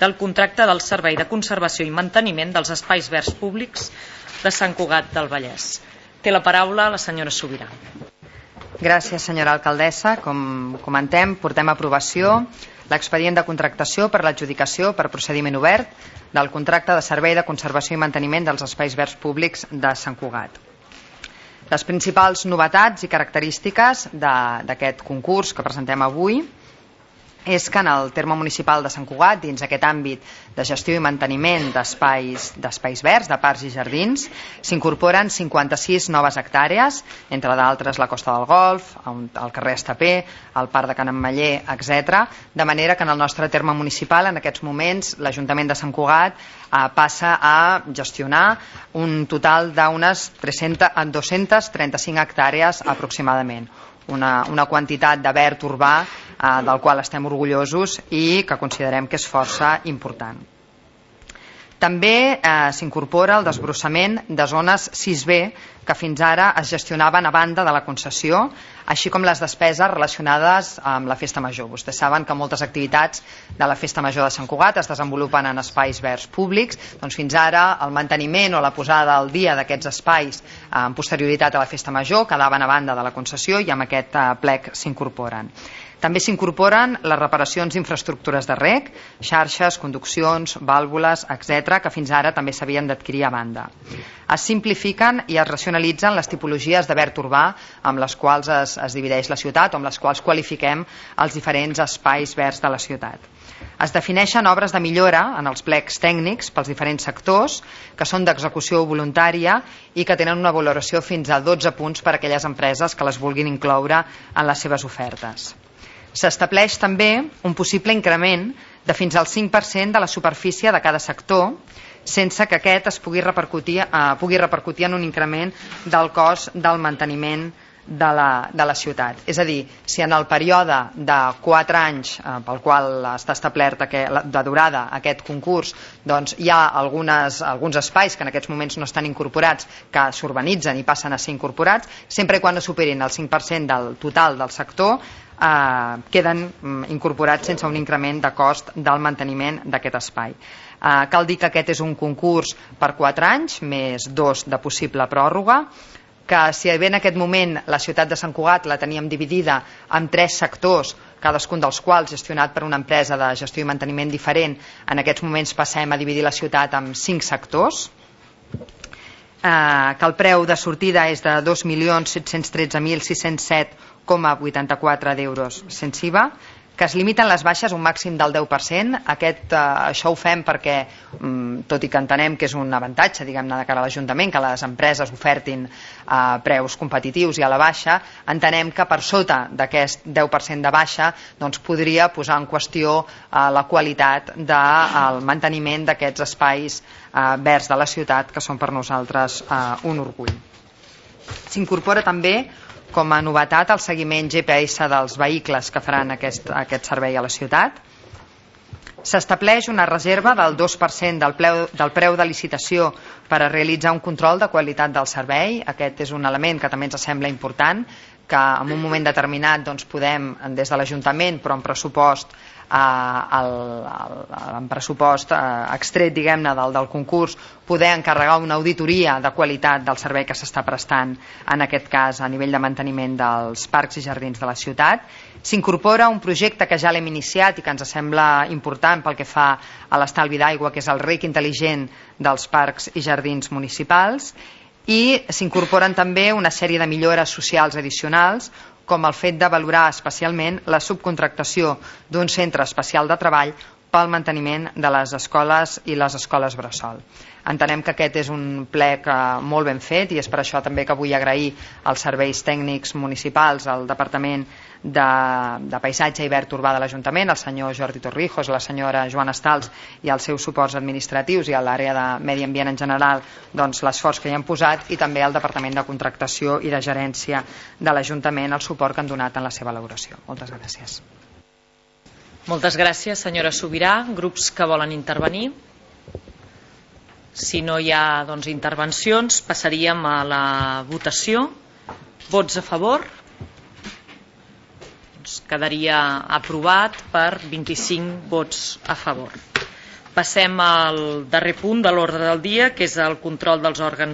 del contracte del Servei de Conservació i Manteniment dels Espais Verds Públics de Sant Cugat del Vallès. Té la paraula la senyora Subirà. Gràcies, senyora alcaldessa. Com comentem, portem a aprovació l'expedient de contractació per l'adjudicació per procediment obert del contracte de Servei de Conservació i Manteniment dels Espais Verds Públics de Sant Cugat. Les principals novetats i característiques d'aquest concurs que presentem avui és que en el terme municipal de Sant Cugat, dins aquest àmbit de gestió i manteniment d'espais verds, de parcs i jardins, s'incorporen 56 noves hectàrees, entre d'altres la Costa del Golf, el carrer Estapé, el Parc de Can Ametller, etc. De manera que en el nostre terme municipal, en aquests moments, l'Ajuntament de Sant Cugat passa a gestionar un total d'unes 235 hectàrees aproximadament. Una quantitat de verd urbà del qual estem orgullosos i que considerem que és força important. També s'incorpora el desbrossament de zones 6B que fins ara es gestionaven a banda de la concessió, així com les despeses relacionades amb la Festa Major. Vostès saben que moltes activitats de la Festa Major de Sant Cugat es desenvolupen en espais verds públics, doncs fins ara el manteniment o la posada al dia d'aquests espais en posterioritat a la Festa Major quedaven a banda de la concessió i amb aquest plec s'incorporen. També s'incorporen les reparacions d'infraestructures de reg, xarxes, conduccions, vàlvules, etc., que fins ara també s'havien d'adquirir a banda. Es simplifiquen i es racionalitzen les tipologies de verd urbà amb les quals es divideix la ciutat o amb les quals qualifiquem els diferents espais verds de la ciutat. Es defineixen obres de millora en els plecs tècnics pels diferents sectors que són d'execució voluntària i que tenen una valoració fins a 12 punts per a aquelles empreses que les vulguin incloure en les seves ofertes. S'estableix també un possible increment de fins al 5% de la superfície de cada sector sense que aquest es pugui repercutir en un increment del cost del manteniment de la ciutat. És a dir, si en el període de 4 anys pel qual està establert de durada aquest concurs, doncs hi ha alguns espais que en aquests moments no estan incorporats que s'urbanitzen i passen a ser incorporats, sempre quan no superin el 5% del total del sector queden incorporats sense un increment de cost del manteniment d'aquest espai. Cal dir que aquest és un concurs per 4 anys més 2 de possible pròrroga, que si bé en aquest moment la ciutat de Sant Cugat la teníem dividida en 3 sectors, cadascun dels quals gestionat per una empresa de gestió i manteniment diferent, en aquests moments passem a dividir la ciutat en 5 sectors, que el preu de sortida és de 2.713.607,84 d'euros sense IVA, que es limiten les baixes a un màxim del 10%. Això ho fem perquè, tot i que entenem que és un avantatge, diguem-ne, de cara a l'Ajuntament, que les empreses ofertin preus competitius i a la baixa, entenem que per sota d'aquest 10% de baixa doncs podria posar en qüestió la qualitat del manteniment d'aquests espais verds de la ciutat, que són per nosaltres un orgull. S'incorpora també com a novetat el seguiment GPS dels vehicles que faran aquest servei a la ciutat. S'estableix una reserva del 2% del preu de licitació per a realitzar un control de qualitat del servei. Aquest és un element que també ens sembla important, que en un moment determinat doncs, podem, des de l'Ajuntament, però en pressupost extret, diguem-ne, del concurs, poder encarregar una auditoria de qualitat del servei que s'està prestant, en aquest cas a nivell de manteniment dels parcs i jardins de la ciutat. S'incorpora un projecte que ja l'hem iniciat i que ens sembla important pel que fa a l'estalvi d'aigua, que és el rec intel·ligent dels parcs i jardins municipals, i s'incorporen també una sèrie de millores socials addicionals, com el fet de valorar especialment la subcontractació d'un centre especial de treball pel manteniment de les escoles i les escoles bressol. Entenem que aquest és un plec molt ben fet i és per això també que vull agrair als serveis tècnics municipals, al Departament de Paisatge i Verd Urbà de l'Ajuntament, el senyor Jordi Torrijos, la senyora Joana Estals i els seus suports administratius i a l'àrea de medi ambient en general, doncs l'esforç que hi han posat, i també al Departament de Contractació i de Gerència de l'Ajuntament el suport que han donat en la seva elaboració. Moltes gràcies. Moltes gràcies, senyora Subirà. Grups que volen intervenir? Si no hi ha intervencions, passaríem a la votació. Vots a favor? Quedaria aprovat per 25 vots a favor. Passem al darrer punt de l'ordre del dia, que és el control dels òrgans